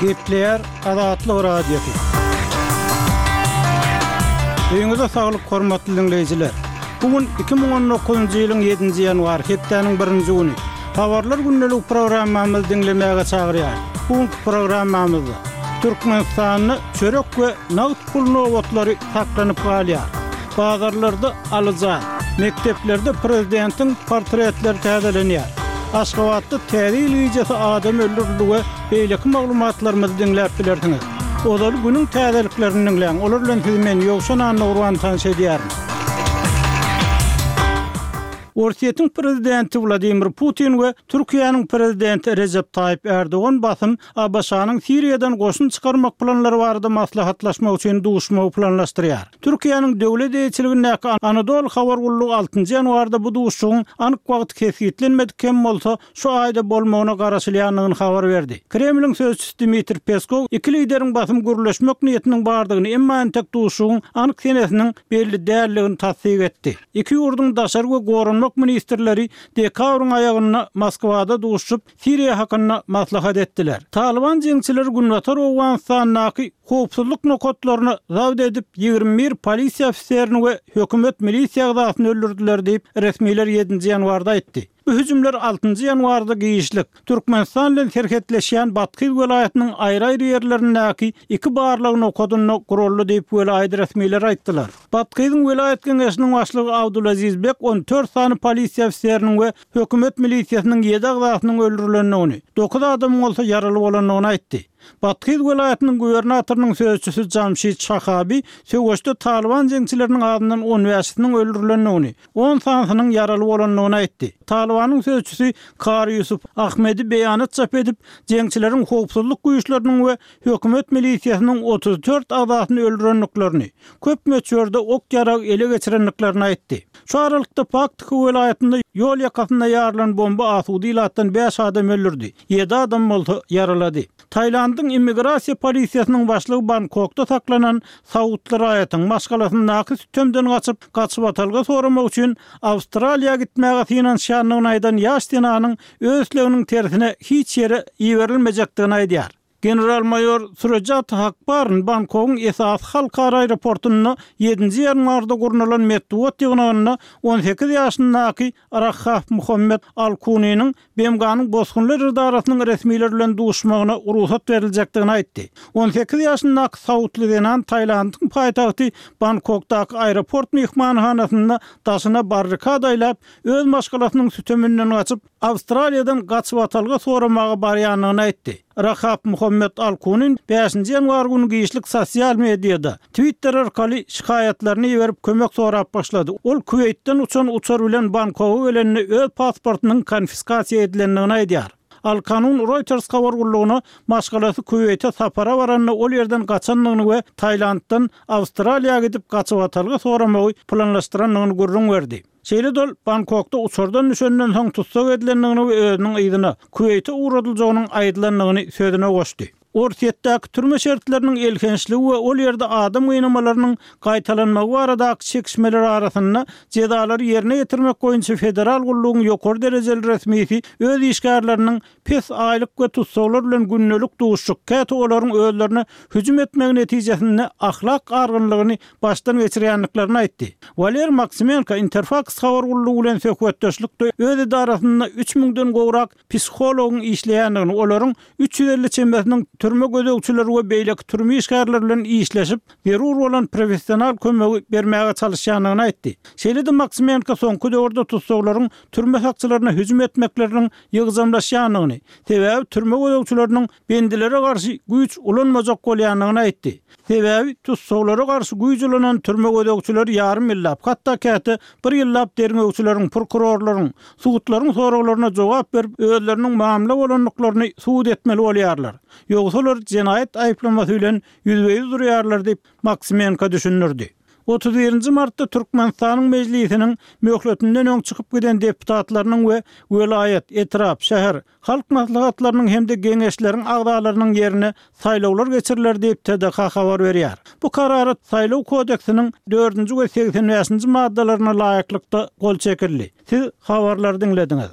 Gepleýär Azatlyk Radiosy. Öýüňize saglyk hormatly diňleýjiler. Bu gün 2019-njy ýylyň 7-nji ýanwary, hepdäniň birinji güni. Habarlar gündelik programmamyzy diňlemäge çagyrýarys. Bu günki programmamyzda Türkmenistanda çörek we nagt pul nobatlary saklanyp galýar. Bazarlarda alyja, mekdeplerde prezidentiň portretleri täzelenýär. Aşgabatda Täze ýyl gijesi adam öldürildi we beýleki maglumatlarymyzy diňläp bilersiňiz. Ozaly günüň täzeliklerini diňläň, olar bilen sizi men, Ýowşan Annagurban tanyş edýärin. Orsýetiň prezidenti Wladimir Putin we Türkiýäniň prezidenti Rejep Taýyp Ärdogan basym ABŞ-nyň Siriýadan goşun çykarmak planlary barada maslahatlaşmak üçin duşmagy planlaşdyrýar. Türkiýäniň döwlet eýeçiligindäki Anadolu habar gullugy altynjy ýanwarda bu duşuşygyň anyk wagty kesgitlenmedik hem bolsa, şu aýda bolmagyna garaşylýandygyny habar berdi. Kremliň sözçüsi Dmitriý Peskow iki lideriň basym gürleşmek niýetiniň bardygyny, emma entek duşuşygyň anyk senesiniň belli däldigini tassyk etdi. Iki ýurduň daşary we goranmak ministrleri dekabryň aýagynda Moskwada duşuşyp, Siriýa hakynda maslahat etdiler. Talyban jeňçileri günbatar Owganystandaky howpsuzlyk nokatlaryny zabt edip, 21 polisiýa ofiserini we hökümet milisiýa agzasyny öldürdiler diýip, resmiler ýedinji ýanwarda aýtdy. Bu hüjümler altynjy ýanwarda giçlik, Türkmenistan bilen serhetleşýän Bathyz welaýatynyň aýry-aýry ýerlerindäki iki barlag nokadynda guraldy diýip, welaýat resmileri aýtdylar. Bathyzyň welaýat geňeşiniň başlygy Abdulaziz Bek 14 sany polisiýa ofiseriniň we hökümet milisiýasynyň ýedi agzasynyň öldürilendigini, dokuz adamyň bolsa ýaraly bolandygyny aýtdy. Bathyz welaýatynyň gubernatorynyň sözçüsi Jamşid Şahabi söweşde talyban jeňçileriniň azyndan on bäşisiniň öldürilendigini, on sanysynyň ýaraly bolandygyny aýtdy. Talybanyň sözçüsi Kary Ýusuf Ahmedi beýanat çap edip, jeňçileriň howpsuzlyk güýçleriniň we hökümet milisiýasynyň 34 agzasyny öldürendiklerini, köp möçberde ok-ýarag ele geçirendiklerini aýtdy. Şu aralykda Paktika welaýatynda ýol ýakasynda ýarylan bomba asuda ilatdan bäş adam öldürdi, ýedi adam bolsa ýaralady. Tailandyň immigrasiýa polisiýasynyň başlygy Bangkokda saklanan saudly raýatyň, maşgalasyndaky sütemden gaçyp, gaçybatalga soramak üçin Awstraliýa gitmäge synanyşýandygyny aýdan ýaş zenanyň öz isleginiň tersine hiç ýere iberilmejekdigini aýdýar. General-maýor Surajat Hakparn Bangkogyň esasy halkara aeroportynda ýedinji ýanwarda gurnalan metbugat ýygnagynda 18 ýaşyndaky Rahaf Muhammed Al-Kuniniň BMG-niň Bosgunlar edarasynyň resmileri bilen duşmagyna rugsat beriljekdigini aýtdy. 18 ýaşyndaky saudly zenan Tailandyň paýtagty Bangkokdaky aeroport myhmanhanasynda daşyna barrikada aýlap, öz maşgalasynyň süteminden gaçyp, Awstraliýadan gaçybatalga soramaga barýandygyny aýtdy. Rahap Muhammet Al-Kunin bäşinji ýanwar güni giçlik sosial mediada, Twitter arkaly şikaýatlaryny iberip kömek sorap başlady. Ol Kuweýtden uçan uçar bilen Bangkoga gelende öz pasportynyň konfiskasiýa edilendigini aýdýar. Al-Kanun Reuters habar gullugyna maşgalasy Kuweýte sapara baranda ol ýerden gaçandygyny we Tailanddan Awstraliýa gidip gaçybatalga soramagy planlaşdyrandygyny gürrüň berdi. Şeýle-de ol Bangkokda uçardan düşenden soň tussag edilendigini we özüniň yzyna, Kuweýte ugradyljagynyň aýdylandygyny sözüne goşdy. Orsýetdäki türme şertleriniň elhençligi we ol ýerde adam gynamalarynyň gaýtalanmagy baradaky çekişmeler arasynda jezalary ýerine ýetirmek boýunça federal gullugyň ýokary derejeli resmisi öz işgärleriniň Pes aýlyk we tussaglar bilen gündelik duşuşyk, käte olaryň özlerine hüjüm etmegi netijesinde ahlak argynlygyny başdan geçirýändiklerini aýtdy. Waler Maksimenko Interfaks habar gullugy bilen söhbetdeşlikde öz edarasynda üç müňden gowrak psihologyň işleýändigini, olaryň 350 çemesiniň türme gözegçileri we beýleki türme işgärleri bilen işleşip, zerur bolan professional kömegi bermäge çalyşýandygyny aýtdy. Şeýle-de Maksimenko soňky döwürde tussaglaryň türme sakçylaryna hüjüm etmekleriniň ýygjamlaşýandygyny, sebäbi türme gözegçileriniň bendilere garşy güýç ulanmajak bolýandygyny aýtdy. Sebäbi tussaglara garşy güýç ulanan türme gözegçileri ýarym ýyllap, hatda käte bir ýyllap derňewçileriň, prokurorlaryň, sudlaryň soraglaryna jogap berip, özleriniň mamla bolandyklaryny subut etmeli bolýarlar. Ýogsa olar jenaýat aýyplamasy bilen ýüzbe-ýüz durýarlar diýip, Maksimenko düşündirdi. 31-nji martda Türkmenistanyň Mejlisiniň möhletinden öň çykyp giden deputatlarynyň we welaýat, etrap, şäher halk maslahatlarynyň hem-de geňeşleriň agzalarynyň ýerine saýlawlar geçiriler diýip, TDH habar berýär. Bu karara Saýlaw kodeksiniň dördünji we 85-nji maddalaryna laýyklykda gol çekildi. Siz habarlary diňlediňiz.